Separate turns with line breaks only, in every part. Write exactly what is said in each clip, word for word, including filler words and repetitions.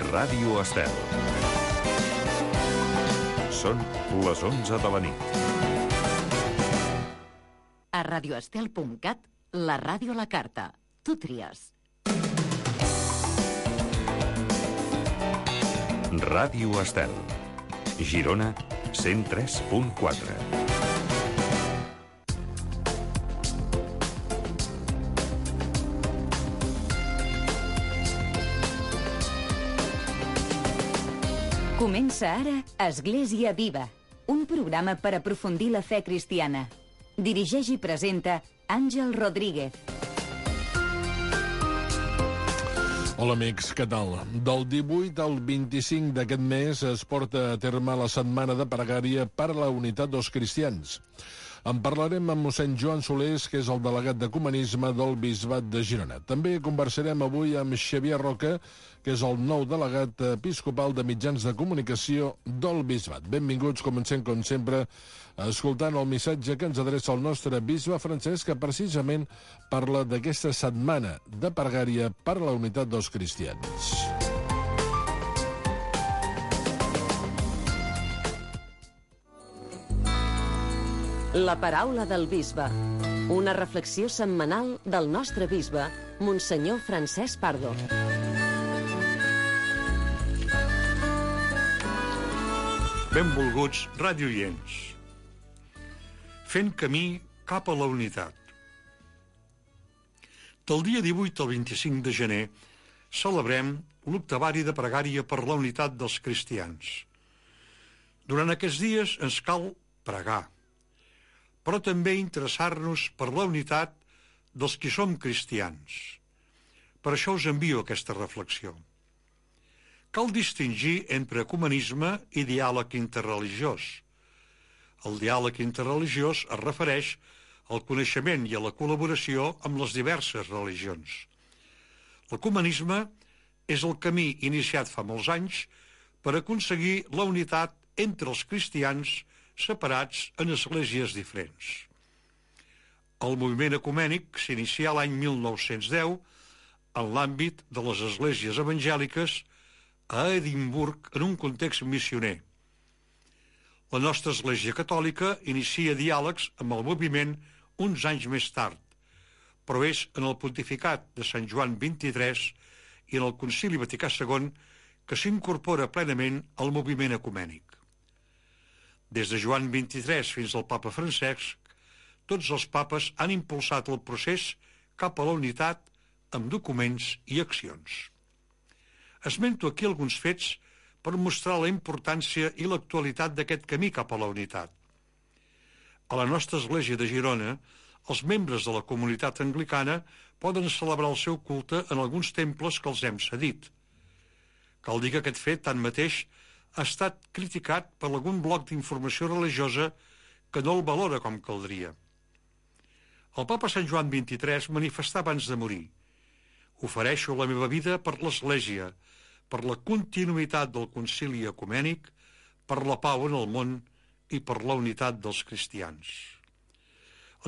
Ràdio Estel. Són les onze de la nit.
A radioestel punt cat, la ràdio a la carta. Tu tries.
Ràdio Estel. Girona, cent tres punt quatre.
Comença ara Església Viva, un programa per aprofundir la fe cristiana. Dirigeix i presenta Àngel Rodríguez.
Hola amics, què tal? Del divuit al vint-i-cinc d'aquest mes es porta a terme la setmana de pregària per la unitat dels cristians. En parlarem amb mossèn Joan Solés, que és el delegat d'Ecumenisme del Bisbat de Girona. També conversarem avui amb Xavier Roca, que és el nou delegat episcopal de mitjans de comunicació del Bisbat. Benvinguts, comencem com sempre escoltant el missatge que ens adreça el nostre bisbe Francesc, que precisament parla d'aquesta setmana de pregària per la unitat dels cristians.
La paraula del bisbe. Una reflexió setmanal del nostre bisbe, Monsenyor Francesc Pardo.
Benvolguts radioients. Fent camí cap a la unitat. Del dia divuit al vint-i-cinc de gener celebrem l'octavari de pregària per la unitat dels cristians. Durant aquests dies ens cal pregar, però també interessar-nos per la unitat dels qui som cristians. Per això us envio aquesta reflexió. Cal distingir entre ecumenisme i diàleg interreligiós. El diàleg interreligiós es refereix al coneixement i a la col·laboració amb les diverses religions. L'ecumenisme és el camí iniciat fa molts anys per aconseguir la unitat entre els cristians separats en esglésies diferents. El moviment ecumènic s'inicià l'any mil nou-cents deu en l'àmbit de les esglésies evangèliques a Edimburg en un context missioner. La nostra Església Catòlica inicia diàlegs amb el moviment uns anys més tard, però és en el pontificat de Sant Joan vint-i-tres i en el Concili Vaticà segon que s'incorpora plenament al moviment ecumènic. Des de Joan vint-i-tres fins al papa Francesc, tots els papes han impulsat el procés cap a la unitat amb documents i accions. Esmento aquí alguns fets per mostrar la importància i l'actualitat d'aquest camí cap a la unitat. A la nostra església de Girona, els membres de la comunitat anglicana poden celebrar el seu culte en alguns temples que els hem cedit. Cal dir que aquest fet, tanmateix, ha estat criticat per algun bloc d'informació religiosa que no el valora com caldria. El papa Sant Joan vint-i-tres manifestà abans de morir: ofereixo la meva vida per l'Església, per la continuïtat del concili ecumènic, per la pau en el món i per la unitat dels cristians.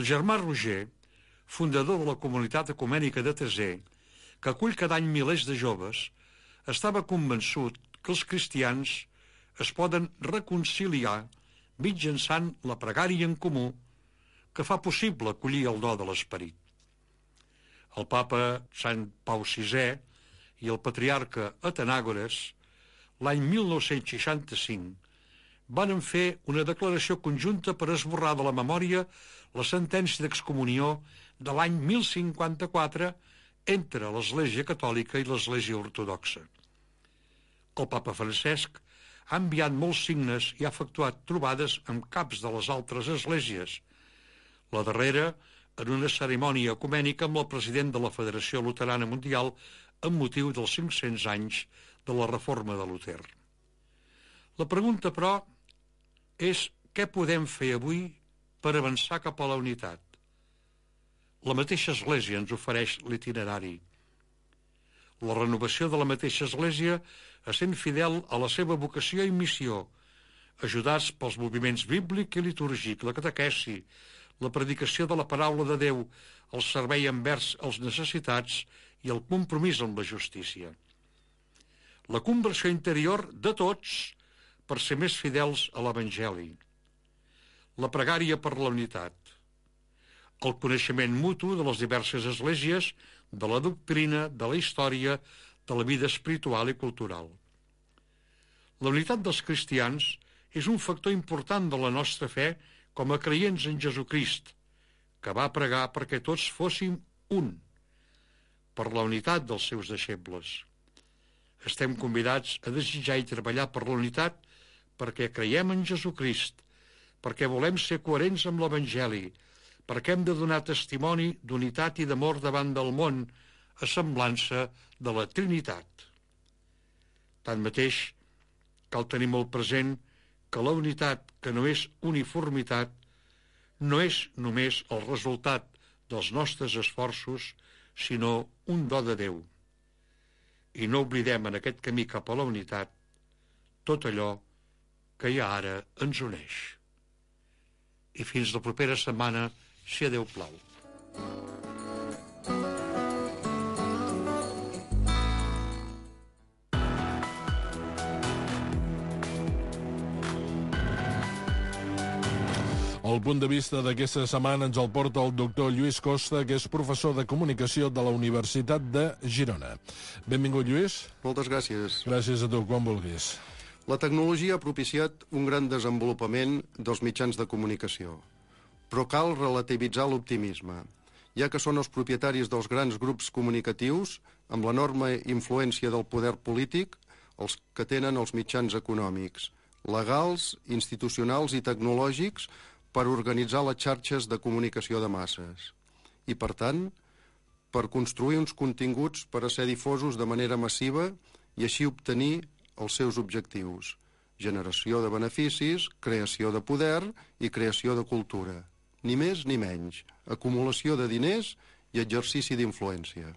El germà Roger, fundador de la comunitat ecumènica de Teser, que acull cada any milers de joves, estava convençut que els cristians es poden reconciliar mitjançant la pregària en comú que fa possible acollir el do de l'esperit. El papa Sant Pau sisè i el patriarca Atenàgores, l'any mil nou-cents seixanta-cinc, van fer una declaració conjunta per esborrar de la memòria la sentència d'excomunió de l'any mil cinquanta-quatre entre l'Església Catòlica i l'Església Ortodoxa. El papa Francesc ha enviat molts signes i ha efectuat trobades amb caps de les altres esglésies, la darrera en una cerimònia ecumènica amb el president de la Federació Luterana Mundial amb motiu dels cinc-cents anys de la reforma de Luter. La pregunta, però, és què podem fer avui per avançar cap a la unitat? La mateixa Església ens ofereix l'itinerari. La renovació de la mateixa Església essent fidel a la seva vocació i missió, ajudats pels moviments bíblic i litúrgic, la catequesi, la predicació de la paraula de Déu, el servei envers els necessitats i el compromís amb la justícia. la conversió interior de tots per ser més fidels a l'Evangeli, la pregària per la unitat, el coneixement mutu de les diverses esglésies, de la doctrina, de la història, de la vida espiritual i cultural. La unitat dels cristians és un factor important de la nostra fe com a creients en Jesucrist, que va pregar perquè tots fóssim un, per la unitat dels seus deixebles. Estem convidats a desitjar i treballar per la unitat perquè creiem en Jesucrist, perquè volem ser coherents amb l'Evangeli, perquè hem de donar testimoni d'unitat i d'amor davant del món, a semblança de la Trinitat. Tanmateix, cal tenir molt present que la unitat, que no és uniformitat, no és només el resultat dels nostres esforços, sinó un do de Déu. I no oblidem en aquest camí cap a la unitat tot allò que ja ara ens uneix. I fins la propera setmana, si a Déu plau.
El punt de vista d'aquesta setmana ens el porta el doctor Lluís Costa, que és professor de comunicació de la Universitat de Girona. Benvingut, Lluís.
Moltes gràcies.
Gràcies a tu, quan vulguis.
La tecnologia ha propiciat un gran desenvolupament dels mitjans de comunicació, però cal relativitzar l'optimisme, ja que són els propietaris dels grans grups comunicatius, amb l'enorme influència del poder polític, els que tenen els mitjans econòmics, legals, institucionals i tecnològics per organitzar les xarxes de comunicació de masses i, per tant, per construir uns continguts per a ser difosos de manera massiva i així obtenir els seus objectius: generació de beneficis, creació de poder i creació de cultura. Ni més ni menys, acumulació de diners i exercici d'influència.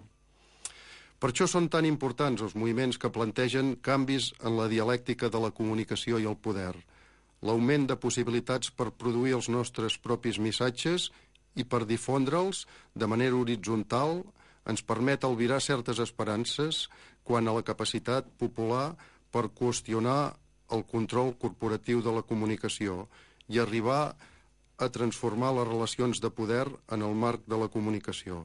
Per això són tan importants els moviments que plantegen canvis en la dialèctica de la comunicació i el poder, l'augment de possibilitats per produir els nostres propis missatges i per difondre'ls de manera horitzontal ens permet albirar certes esperances quant a la capacitat popular per qüestionar el control corporatiu de la comunicació i arribar a transformar les relacions de poder en el marc de la comunicació.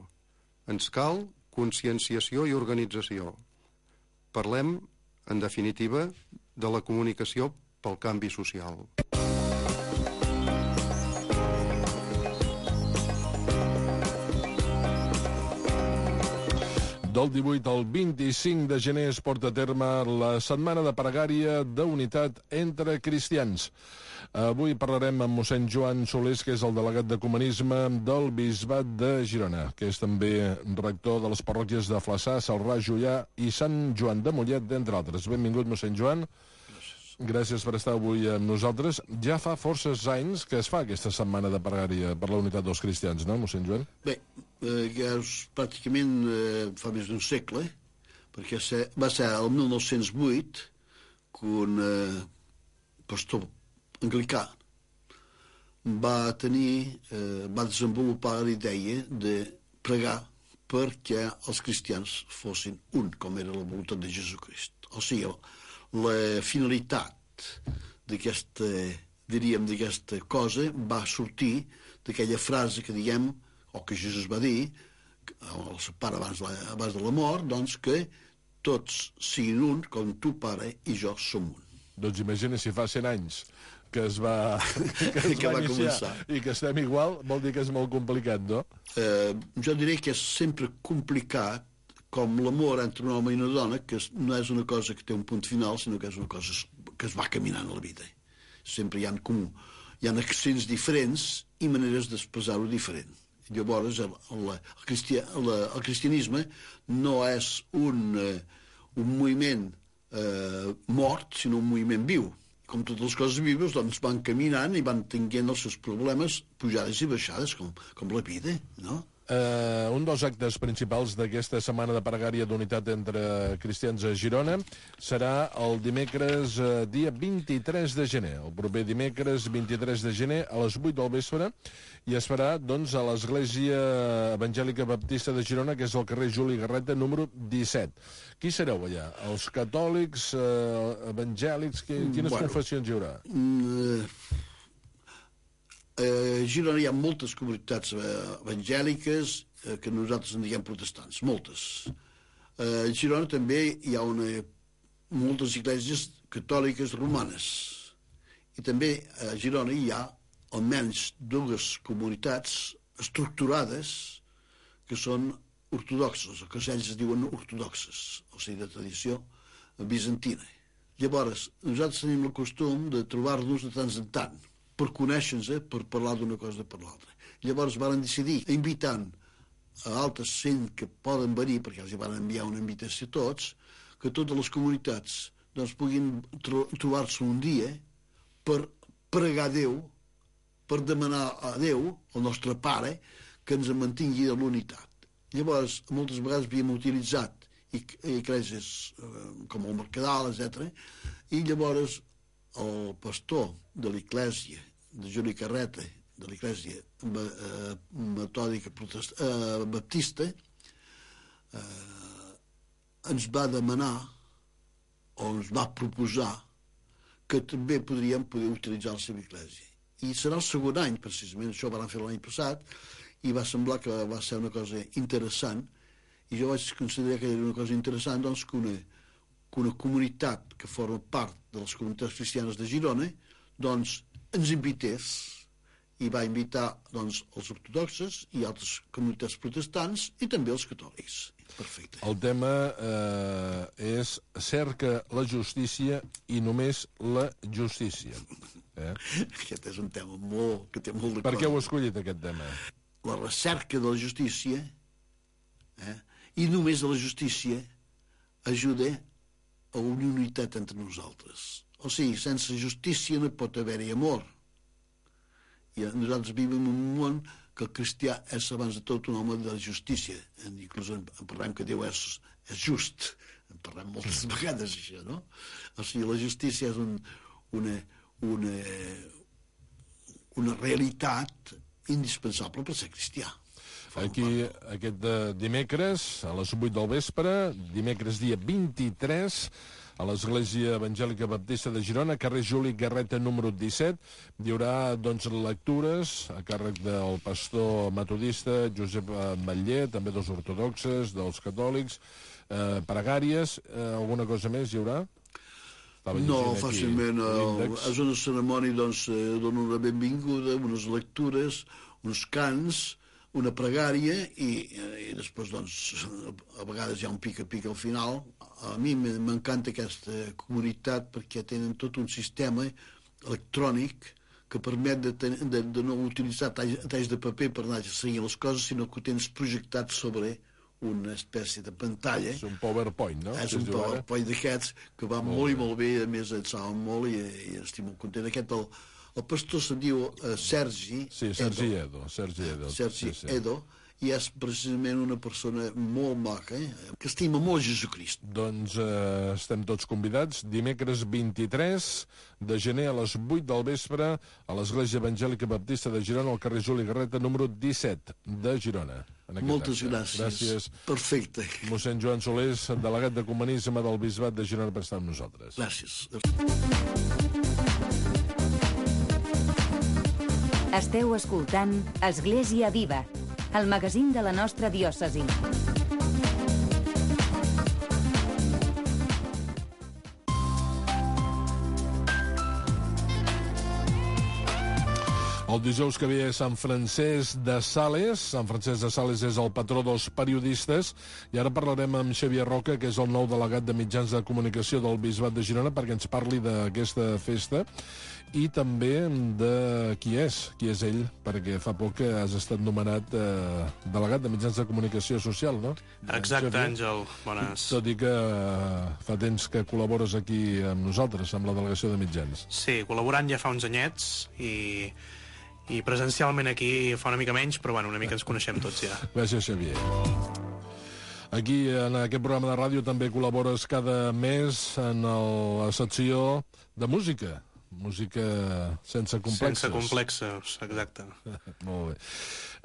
Ens cal conscienciació i organització. Parlem, en definitiva, de la comunicació pel canvi social.
Del divuit al vint-i-cinc de gener es porta a terme la Setmana de Pregària d'Unitat entre Cristians. Avui parlarem amb mossèn Joan Solés, que és el delegat d'Ecumenisme del Bisbat de Girona, que és també rector de les parròquies de Flaçà, Celrà, Juià i Sant Joan de Mollet, d'entre altres. Benvingut, mossèn Joan. Gràcies per estar avui amb nosaltres. Ja fa forces anys que es fa aquesta setmana de pregària per la unitat dels cristians, no, mossèn Joan?
Bé, eh, ja és pràcticament eh, fa més d'un segle, perquè se, va ser el mil nou-cents vuit que un eh, pastor anglicà va tenir, eh, va desenvolupar la idea de pregar perquè els cristians fossin un, com era la voluntat de Jesucrist. O sigui, la finalitat d'aquesta, diríem, d'aquesta cosa va sortir d'aquella frase que diem, o que Jesús va dir, al seu pare abans, la, abans de la mort, doncs que tots siguin un, com tu, pare, i jo som un.
Doncs imagina si fa cent anys que es va, que es
que
va,
va
iniciar
començar.
I que estem igual, vol dir que és molt complicat, no?
Eh, jo diré que és sempre complicat com l'amor entre un home i una dona, que no és una cosa que té un punt final, sinó que és una cosa que es va caminant a la vida. Sempre hi ha, com, hi ha accents diferents i maneres d'expressar-ho diferent. Llavors, el, el, el, cristià, el, el cristianisme no és un, un moviment eh, mort, sinó un moviment viu. Com totes les coses vives, doncs van caminant i van tenint els seus problemes, pujades i baixades, com, com la vida, no?
Uh, un dels actes principals d'aquesta setmana de pregària d'unitat entre cristians a Girona serà el dimecres uh, dia vint-i-tres de gener, el proper dimecres vint-i-tres de gener a les vuit del vespre, i es farà doncs, a l'Església Evangèlica Baptista de Girona, que és al carrer Juli Garreta, número disset. Qui sereu allà? Els catòlics, uh, evangèlics? Qui, quines bueno, confessions hi haurà?
Mm, A Girona hi ha moltes comunitats evangèliques que nosaltres en diguem protestants, moltes. A Girona també hi ha una, moltes esglésies catòliques romanes. I també a Girona hi ha almenys dues comunitats estructurades que són ortodoxes, o que ells es diuen ortodoxes, o sigui, de tradició bizantina. Llavors, nosaltres tenim el costum de trobar-nos de tant en tant, per conèixer-nos, per parlar d'una cosa per l'altra. Llavors van decidir, invitant a altres cent que poden venir, perquè els van enviar una invitació a tots, que totes les comunitats doncs, puguin tro trobar-se un dia per pregar a Déu, per demanar a Déu, el nostre Pare, que ens mantingui de l'unitat. Llavors, moltes vegades havíem utilitzat esglésies com el Mercadal, etcètera, i llavors el pastor de l'església de Juli Carreta, de l'església eh, metòdica eh, baptista, eh, ens va demanar o ens va proposar que també podríem poder utilitzar la seva església. I serà el segon any, precisament, això ho van fer l'any passat, i va semblar que va ser una cosa interessant, i jo vaig considerar que era una cosa interessant doncs, que, una, que una comunitat que forma part de les comunitats cristianes de Girona doncs, ens invités, i va invitar doncs, els ortodoxes i altres comunitats protestants i també els catòlics. Perfecte.
El tema eh, és cerca la justícia i només la justícia. Eh?
Aquest és un tema molt, que té molt de
Per què heu escollit aquest tema?
La recerca de la justícia eh, i només la justícia ajuda a una unitat entre nosaltres. O sigui, sense justícia no pot haver-hi amor. I nosaltres vivim en un món que el cristià és abans de tot un home de la justícia. Inclús en parlem que Déu és, és just. En parlem moltes vegades, això, no? O sigui, la justícia és un, una, una, una realitat indispensable per ser cristià.
Aquí, aquest dimecres, a les vuit del vespre, dimecres dia vint-i-tres, a l'Església Evangèlica Baptista de Girona, carrer Juli Garreta, número disset, hi haurà doncs, lectures a càrrec del pastor metodista Josep Matller, també dels ortodoxes, dels catòlics, eh, pregàries, eh, alguna cosa més hi haurà?
No, fàcilment. És una cerimònia, doncs, dona una benvinguda, unes lectures, uns cants, una pregària i, i després, doncs, a vegades hi ha un pica-pica al final. A mi m'encanta aquesta comunitat perquè tenen tot un sistema electrònic que permet de, ten, de, de no utilitzar talls, talls de paper per anar a seguir les coses, sinó que ho tens projectat sobre una espècie de pantalla.
És un PowerPoint, no?
És un PowerPoint d'aquests que va molt, molt i molt bé, a més et saben molt i, i estic molt content. Aquest, el, el pastor se'n diu uh, Sergi
Sí, Sergi Edo. Sergi Edo,
Sergi
sí, sí.
Edo, i és precisament una persona molt maca, eh? que estima molt Jesucrist.
Doncs eh, estem tots convidats. Dimecres vint-i-tres de gener a les vuit del vespre a l'Església Evangèlica Baptista de Girona, al carrer Juli Garreta, número disset de Girona.
Moltes gràcies.
Gràcies.
Perfecte.
Mossèn Joan Solés, delegat d'Ecumenisme del Bisbat de Girona, per estar amb nosaltres.
Gràcies.
Esteu escoltant Església Viva, el magazín de la nostra diòcesi.
El dijous que ve és Sant Francesc de Sales. Sant Francesc de Sales és el patró dels periodistes. I ara parlarem amb Xavier Roca, que és el nou delegat de mitjans de comunicació del Bisbat de Girona, perquè ens parli d'aquesta festa i també de qui és, qui és ell, perquè fa poc que has estat nomenat eh, delegat de mitjans de comunicació social, no?
Exacte, Àngel. Bones.
Tot i que eh, fa temps que col·labores aquí amb nosaltres, amb la delegació de mitjans.
Sí, col·laborant ja fa uns anyets i, i presencialment aquí fa una mica menys, però bueno, una mica ens coneixem tots ja.
Gràcies, Xavier. Aquí, en aquest programa de ràdio, també col·labores cada mes en el, la secció de música. Música sense complexes.
Sense complexes, exacte.
Molt bé.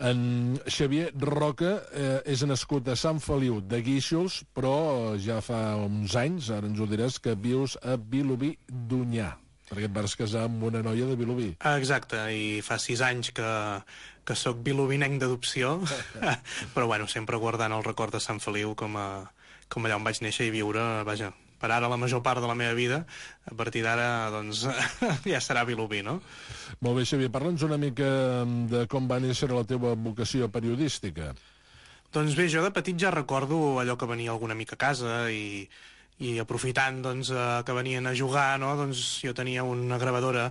En Xavier Roca eh, és nascut a Sant Feliu de Guíxols, però ja fa uns anys, ara ens ho diràs, que vius a Vilobí d'Onyar, perquè et vas casar amb una noia de Vilobí.
Exacte, i fa sis anys que, que sóc vilobinenc d'adopció, però bueno, sempre guardant el record de Sant Feliu com, a, com allà on vaig néixer i viure, vaja, per ara la major part de la meva vida, a partir d'ara, doncs, ja serà Vilobí, no?
Molt bé, Xavier, parla'ns una mica de com va néixer la teva vocació periodística.
Doncs bé, jo de petit ja recordo allò que venia algun amic a casa i, i aprofitant doncs, que venien a jugar, no? Doncs jo tenia una gravadora,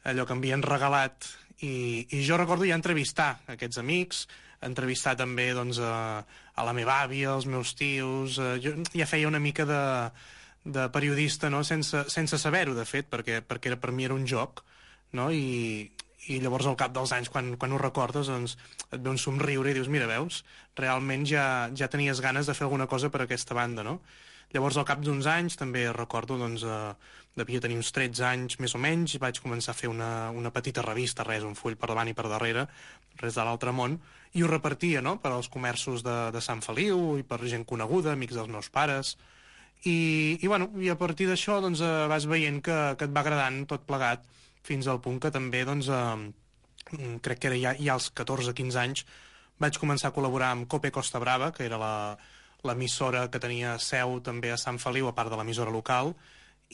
allò que em havien regalat, i, i jo recordo ja entrevistar aquests amics, entrevistar també doncs, a, a la meva àvia, als meus tios, eh, jo ja feia una mica de, de periodista, no? sense, sense saber-ho, de fet, perquè, perquè era, per mi era un joc, no? I, i llavors al cap dels anys, quan, quan ho recordes, doncs, et ve un somriure i dius, mira, veus, realment ja, ja tenies ganes de fer alguna cosa per aquesta banda, no? Llavors, al cap d'uns anys, també recordo, doncs, eh, devia tenir uns tretze anys, més o menys, i vaig començar a fer una, una petita revista, res, un full per davant i per darrere, res de l'altre món, i ho repartia, no?, per als comerços de, de Sant Feliu i per gent coneguda, amics dels meus pares, i, i, bueno, i a partir d'això, doncs, eh, vas veient que, que et va agradant tot plegat, fins al punt que també, doncs, eh, crec que era ja, ja als catorze quinze anys, vaig començar a col·laborar amb Cope Costa Brava, que era la l'emissora que tenia seu també a Sant Feliu, a part de l'emissora local,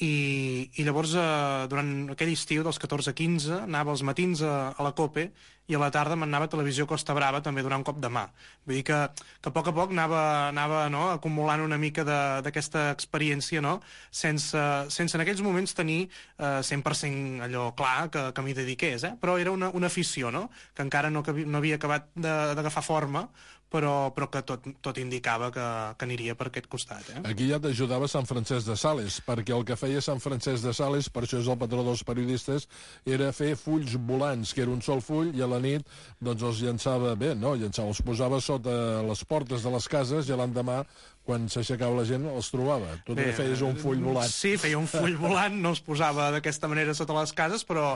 i, i llavors eh, durant aquell estiu dels catorze quinze anava als matins a, a la Cope i a la tarda m'anava a Televisió Costa Brava també donant un cop de mà. Vull dir que, que a poc a poc anava, anava no, acumulant una mica d'aquesta experiència, no? sense, sense en aquells moments tenir eh, cent per cent allò clar que, que m'hi dediqués, eh? Però era una, una afició, no? Que encara no, no havia acabat d'agafar forma, però, però que tot, tot indicava que, que aniria per aquest costat. Eh?
Aquí ja t'ajudava Sant Francesc de Sales, perquè el que feia Sant Francesc de Sales, per això és el patró dels periodistes, era fer fulls volants, que era un sol full, i a la nit doncs els llançava, bé, no, llançava, els posava sota les portes de les cases i l'endemà, quan s'aixecava la gent, els trobava. Tu també feies un full volant.
Sí, feia un full volant, no els posava d'aquesta manera sota les cases, però,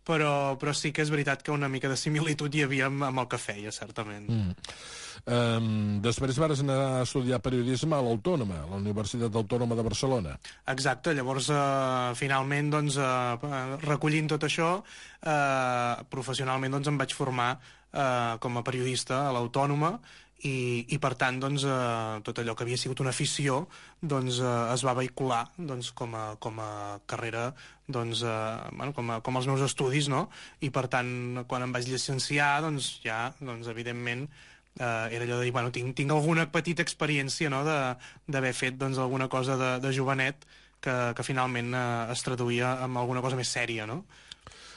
però, però sí que és veritat que una mica de similitud hi havia amb, amb el que feia, certament.
Mm. Um, després vas anar a estudiar periodisme a l'Autònoma, a la Universitat Autònoma de Barcelona.
Exacte, llavors uh, finalment doncs, uh, recollint tot això, uh, professionalment doncs, em vaig formar uh, com a periodista a l'Autònoma, i, i per tant doncs, eh, tot allò que havia sigut una afició doncs, eh, es va vehicular doncs, com, a, com a carrera, doncs, eh, bueno, com, a, com els meus estudis, no? I per tant, quan em vaig llicenciar, doncs, ja, doncs, evidentment, eh, era allò de dir, bueno, tinc, tinc alguna petita experiència, no?, d'haver fet doncs, alguna cosa de, de jovenet que, que finalment eh, es traduïa en alguna cosa més sèria, no?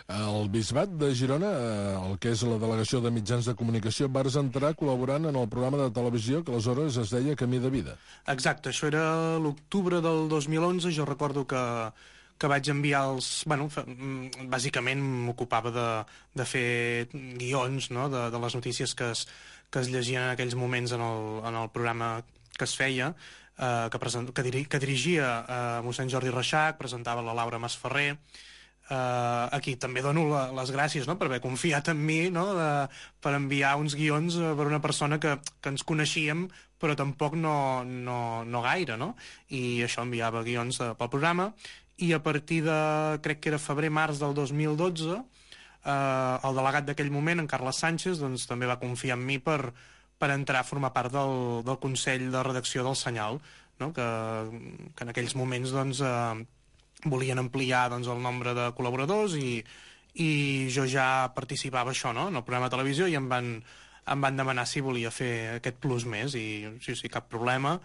Al Bisbat de Girona, el que és la delegació de mitjans de comunicació, vas entrar col·laborant en el programa de televisió que aleshores es deia Camí de Vida.
Exacte, això era l'octubre del dos mil onze, jo recordo que, que vaig enviar els... Bueno, bàsicament m'ocupava de, de fer guions, no?, de, de les notícies que es, que es llegien en aquells moments en el, en el programa que es feia, eh, que, present, que, diri, que dirigia eh, mossèn Jordi Reixac, presentava la Laura Masferrer. Uh, aquí també dono la, les gràcies, no?, per haver confiat en mi, no?, de, per enviar uns guions uh, per una persona que, que ens coneixíem però tampoc no, no, no gaire, no? I això enviava guions uh, pel programa, i a partir de, crec que era febrer-març del dos mil dotze, uh, el delegat d'aquell moment, en Carles Sánchez, doncs també va confiar en mi per, per entrar a formar part del, del Consell de Redacció del Senyal, no?, que, que en aquells moments doncs uh, volien ampliar doncs, el nombre de col·laboradors i, i jo ja participava això, no?, en el programa de televisió, i em van, em van demanar si volia fer aquest plus més, i sí, sí, cap problema.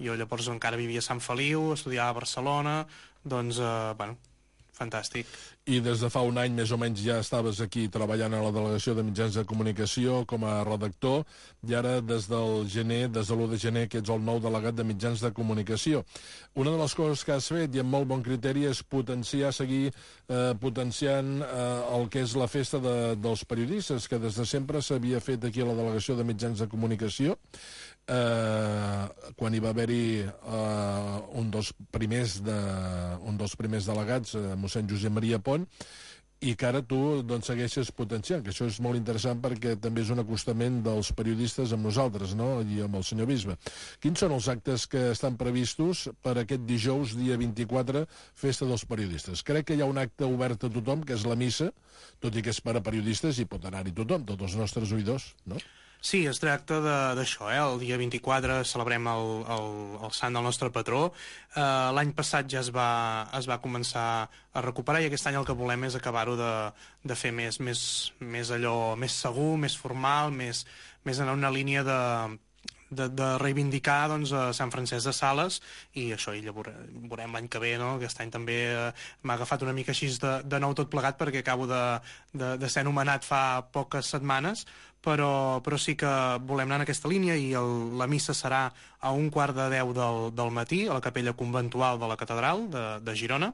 Jo llavors encara vivia a Sant Feliu, estudiava a Barcelona, doncs, eh, bueno, fantàstic.
I des de fa un any, més o menys, ja estaves aquí treballant a la Delegació de Mitjans de Comunicació com a redactor, i ara des del gener, des de l'u de gener, que ets el nou delegat de Mitjans de Comunicació. Una de les coses que has fet, i amb molt bon criteri, és potenciar, seguir eh, potenciant eh, el que és la festa de, dels periodistes, que des de sempre s'havia fet aquí a la Delegació de Mitjans de Comunicació. Eh, quan hi va haver-hi eh, un, dels primers de, un dels primers delegats, eh, mossèn Josep Maria Pont, i que ara tu doncs, segueixes potenciant, que això és molt interessant perquè també és un acostament dels periodistes amb nosaltres, no?, i amb el senyor bisbe. Quins són els actes que estan previstos per aquest dijous, dia vint-i-quatre, festa dels periodistes? Crec que hi ha un acte obert a tothom, que és la missa, tot i que és per a periodistes i pot anar-hi tothom, tots els nostres oïdors, no?
Sí, es tracta d'això, eh? El dia vint-i-quatre celebrem el, el, el sant del nostre patró. Eh, L'any passat ja es va, es va començar a recuperar i aquest any el que volem és acabar-ho de, de fer més, més, més allò, més segur, més formal, més, més en una línia de, de, de reivindicar doncs, a Sant Francesc de Sales, i això i llavors veurem l'any que ve, no? Aquest any també eh, m'ha agafat una mica així de, de nou tot plegat perquè acabo de, de, de ser anomenat fa poques setmanes, però, però sí que volem anar en aquesta línia i el, la missa serà a un quart de deu del, del matí a la capella conventual de la catedral de, de Girona.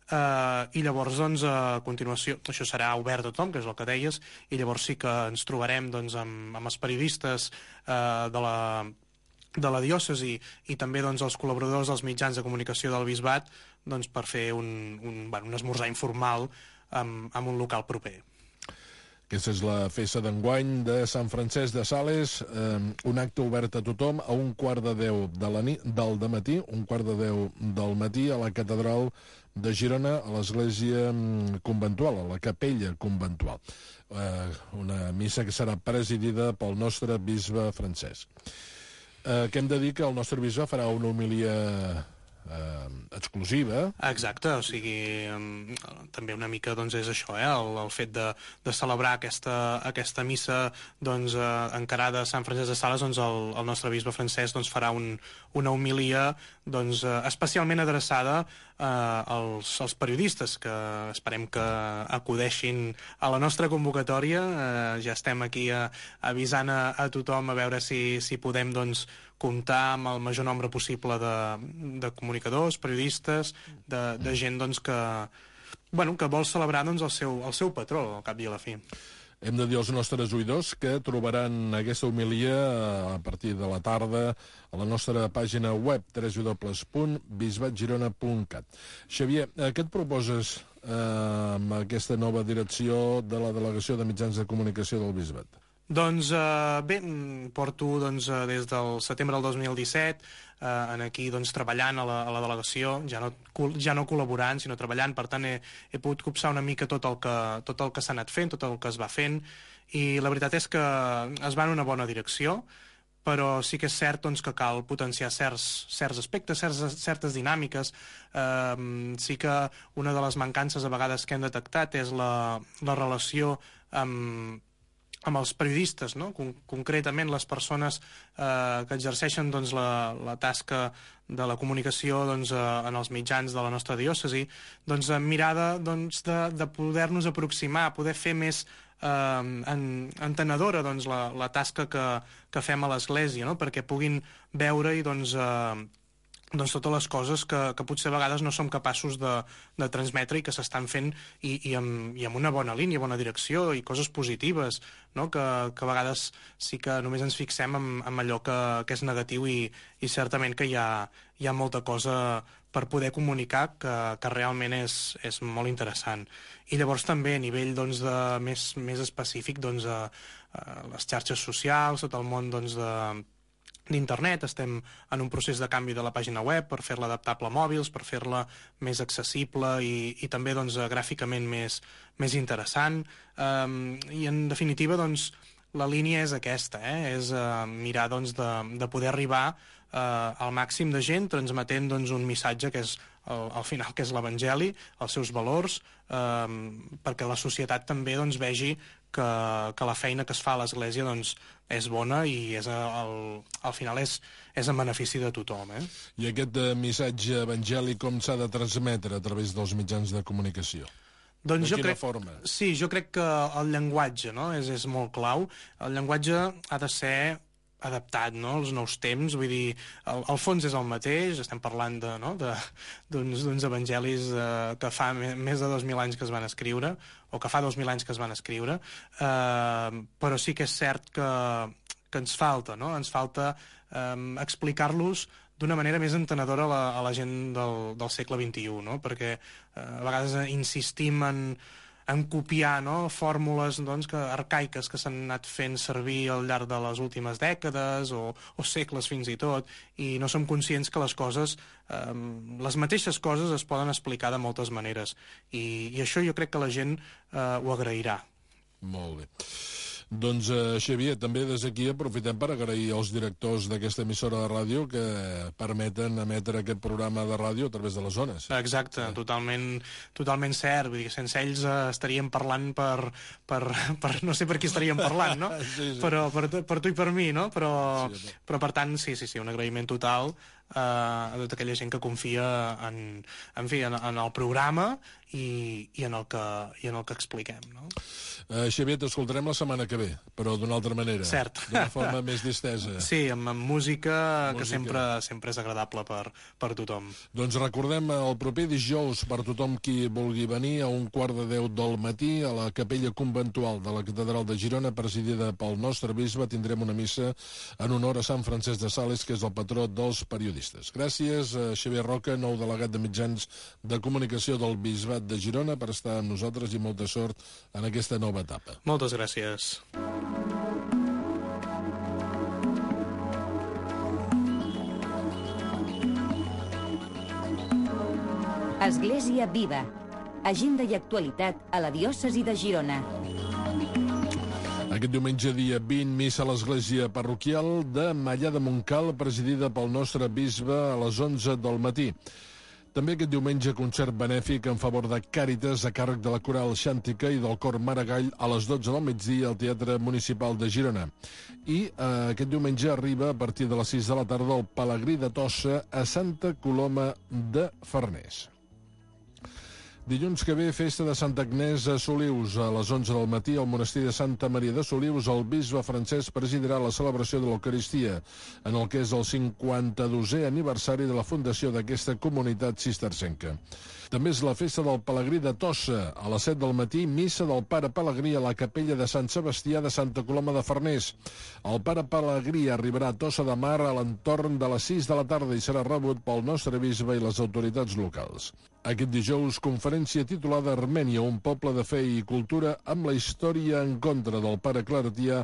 Uh, i llavors doncs, a continuació això serà obert a tothom, que és el que deies, i llavors sí que ens trobarem doncs, amb, amb els periodistes uh, de la de la diòcesi i també doncs, els col·laboradors dels mitjans de comunicació del bisbat doncs, per fer un, un, bueno, un esmorzar informal amb, amb un local proper.
Aquesta és la festa d'enguany de Sant Francesc de Sales, eh, un acte obert a tothom a un quart de deu de la nit, del dematí, un quart de deu del matí a la catedral de Girona, a l'església conventual, a la capella conventual. Eh, una missa que serà presidida pel nostre bisbe Francesc. Eh, que hem de dir que el nostre bisbe farà una homilia eh, exclusiva.
Exacte, o sigui, també una mica doncs, és això, eh? el, el fet de, de celebrar aquesta, aquesta missa doncs, eh, encarada a Sant Francesc de Sales, doncs, el, el nostre bisbe Francesc doncs, farà un, una homilia doncs, eh, especialment adreçada eh, als, als periodistes, que esperem que acudeixin a la nostra convocatòria. Eh, ja estem aquí eh, avisant a, a tothom a veure si, si podem doncs, comptar amb el major nombre possible de, de comunicadors, periodistes, de, de gent doncs, que, bueno, que vol celebrar doncs, el, seu, el seu patró, al cap i a la fi.
Hem de dir als nostres oïdors que trobaran aquesta homilia a partir de la tarda a la nostra pàgina web w w w punt bisbat girona punt cat. Xavier, què et proposes eh, amb aquesta nova direcció de la Delegació de Mitjans de Comunicació del Bisbat?
Doncs eh, bé, porto doncs, des del setembre del dos mil disset eh, en aquí doncs, treballant a la, a la delegació, ja no, ja no col·laborant, sinó treballant, per tant he, he pogut copsar una mica tot el que, tot el que s'ha anat fent, tot el que es va fent, i la veritat és que es va en una bona direcció, però sí que és cert doncs, que cal potenciar certs, certs aspectes, certs, certes dinàmiques. Eh, sí que una de les mancances a vegades que hem detectat és la, la relació amb amb els periodistes, no? Con concretament les persones eh, que exerceixen doncs, la, la tasca de la comunicació doncs, eh, en els mitjans de la nostra diòcesi, doncs, amb mirada doncs, de, de poder-nos aproximar, poder fer més eh, en, entenedora doncs, la, la tasca que, que fem a l'Església, no? Perquè puguin veure i doncs, eh, doncs totes les coses que, que potser a vegades no som capaços de, de transmetre i que s'estan fent i, i, amb, i amb una bona línia, bona direcció i coses positives, no? que, que a vegades sí que només ens fixem en, en allò que, que és negatiu i, i certament que hi ha, hi ha molta cosa per poder comunicar que, que realment és, és molt interessant. I llavors també a nivell doncs, de, més, més específic doncs, a, a les xarxes socials, tot el món doncs, de d'internet, estem en un procés de canvi de la pàgina web per fer-la adaptable a mòbils, per fer-la més accessible i, i també doncs, gràficament més, més interessant. Um, I en definitiva doncs, la línia és aquesta, eh? és uh, mirar doncs, de, de poder arribar uh, al màxim de gent transmetent doncs, un missatge que és al, al final que és l'Evangeli, els seus valors, um, perquè la societat també doncs, vegi que, que la feina que es fa a l'Església doncs, és bona i és el, al final és, és en benefici de tothom. Eh?
I aquest eh, missatge evangèlic com s'ha de transmetre a través dels mitjans de comunicació?
Doncs
de
jo
quina
crec,
forma?
Sí, jo crec que el llenguatge, no? és, és molt clau. El llenguatge ha de ser adaptat, no?, als nous temps, vull dir, el, el fons és el mateix, estem parlant de, no?, d'uns d'uns evangelis eh, que fa me, més de dos mil anys que es van escriure, o que fa dos mil anys que es van escriure, eh, però sí que és cert que, que ens falta, no?, ens falta eh, explicar-los d'una manera més entenedora a la, a la gent del, del segle vint-i-u, no?, perquè eh, a vegades insistim en en copiar, no?, fórmules doncs, que, arcaiques que s'han anat fent servir al llarg de les últimes dècades o, o segles fins i tot, i no som conscients que les coses, eh, les mateixes coses es poden explicar de moltes maneres. I, i això jo crec que la gent eh, ho agrairà.
Molt bé. Doncs, eh, Xavier, també des d'aquí aprofitem per agrair als directors d'aquesta emissora de ràdio que permeten emetre aquest programa de ràdio a través de les zones.
Exacte, sí. totalment, totalment cert. Vull dir, sense ells eh, estaríem parlant per, per, per... no sé per qui estaríem parlant, no? sí, sí. Però per, per tu i per mi, no? Però, sí, però per tant, sí, sí, sí, un agraïment total eh, a tota aquella gent que confia en, en, fi, en, en el programa i, i, en el que, i en el que expliquem, no?
Uh, Xavier, t'escoltarem la setmana que ve, però d'una altra manera.
Cert.
D'una forma més distesa.
Sí, amb, amb música, música que sempre, sempre és agradable per, per tothom.
Doncs recordem el proper dijous per tothom qui vulgui venir a un quart de deu del matí a la capella conventual de la Catedral de Girona, presidida pel nostre bisbe. Tindrem una missa en honor a Sant Francesc de Sales, que és el patró dels periodistes. Gràcies a Xavier Roca, nou delegat de mitjans de comunicació del Bisbat de Girona, per estar amb nosaltres i molta sort en aquesta nova etapa.
Moltes gràcies.
Església Viva. Agenda i actualitat a la diòcesi de Girona.
Aquest diumenge, dia vint, missa a l'església parroquial de Mallà de Montcal, presidida pel nostre bisbe a les onze del matí. També aquest diumenge, concert benèfic en favor de Càritas a càrrec de la Coral Xàntica i del Cor Maragall a les dotze del migdia al Teatre Municipal de Girona. I eh, aquest diumenge arriba a partir de les sis de la tarda el Pelegrí de Tossa a Santa Coloma de Farners. Dilluns que ve, festa de Santa Agnès a Solius. A les onze del matí, al monestir de Santa Maria de Solius, el bisbe Francesc presidirà la celebració de l'Eucaristia, en el que és el cinquanta-dosè aniversari de la fundació d'aquesta comunitat cistercenca. També és la festa del Pelegrí de Tossa. A les set del matí, missa del Pare Pelegrí a la capella de Sant Sebastià de Santa Coloma de Farners. El Pare Pelegrí arribarà a Tossa de Mar a l'entorn de les sis de la tarda i serà rebut pel nostre bisbe i les autoritats locals. Aquest dijous, conferència titulada Armènia, un poble de fe i cultura amb la història en contra del pare claretià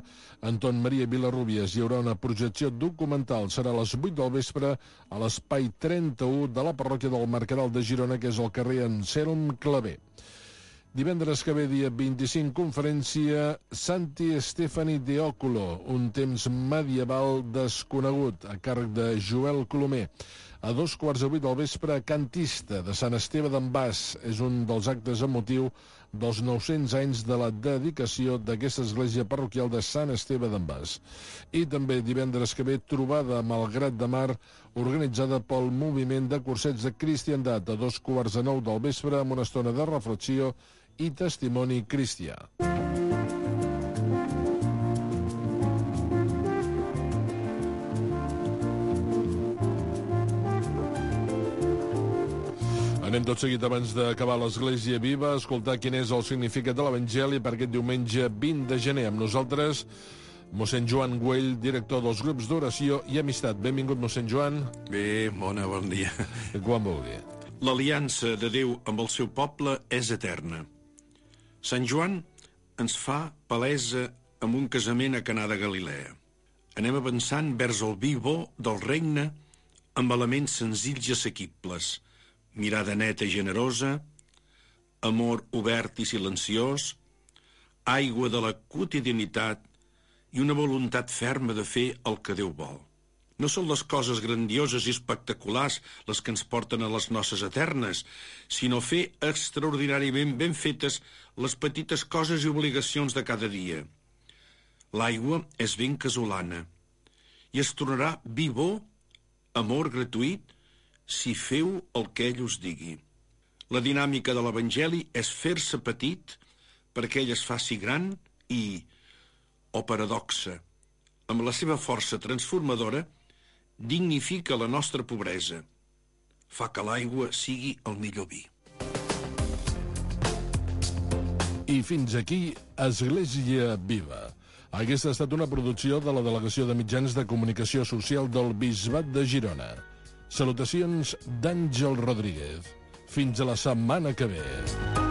Anton Maria Vilarrubias. Hi haurà una projecció documental. Serà a les vuit del vespre a l'espai trenta-u de la parròquia del Mercadal de Girona, que és el carrer Anselm Clavé. Divendres que ve, dia vint-i-cinc, conferència Santi Stefani de Oculo, un temps medieval desconegut, a càrrec de Joel Colomer. A dos quarts de vuit del vespre, Cantista, de Sant Esteve d'en Bas. És un dels actes amb motiu dels nou-cents anys de la dedicació d'aquesta església parroquial de Sant Esteve d'en Bas. I també divendres que ve, trobada a Malgrat de Mar, organitzada pel moviment de cursets de cristiandat, a dos quarts de nou del vespre, amb una estona de reflexió i testimoni cristià. Anem tot seguit, abans d'acabar l'Església Viva, a escoltar quin és el significat de l'Evangeli per aquest diumenge vint de gener. Amb nosaltres, mossèn Joan Güell, director dels grups d'oració i amistat. Benvingut, mossèn Joan.
Bé, bona, bon dia.
Quan vulgui.
L'aliança de Déu amb el seu poble és eterna. Sant Joan ens fa palesa amb un casament a Canà de Galilea. Anem avançant vers el vi bo del regne amb elements senzills i assequibles, mirada neta i generosa, amor obert i silenciós, aigua de la quotidianitat i una voluntat ferma de fer el que Déu vol. No són les coses grandioses i espectaculars les que ens porten a les noces eternes, sinó fer extraordinàriament ben fetes les petites coses i obligacions de cada dia. L'aigua és ben casolana i es tornarà vi bo, amor gratuït, si feu el que ell us digui. La dinàmica de l'Evangeli és fer-se petit perquè ell es faci gran i, o paradoxa, amb la seva força transformadora, dignifica la nostra pobresa. Fa que l'aigua sigui el millor vi.
I fins aquí, Església Viva. Aquesta ha estat una producció de la Delegació de Mitjans de Comunicació Social del Bisbat de Girona. Salutacions d'Àngel Rodríguez. Fins a la setmana que ve.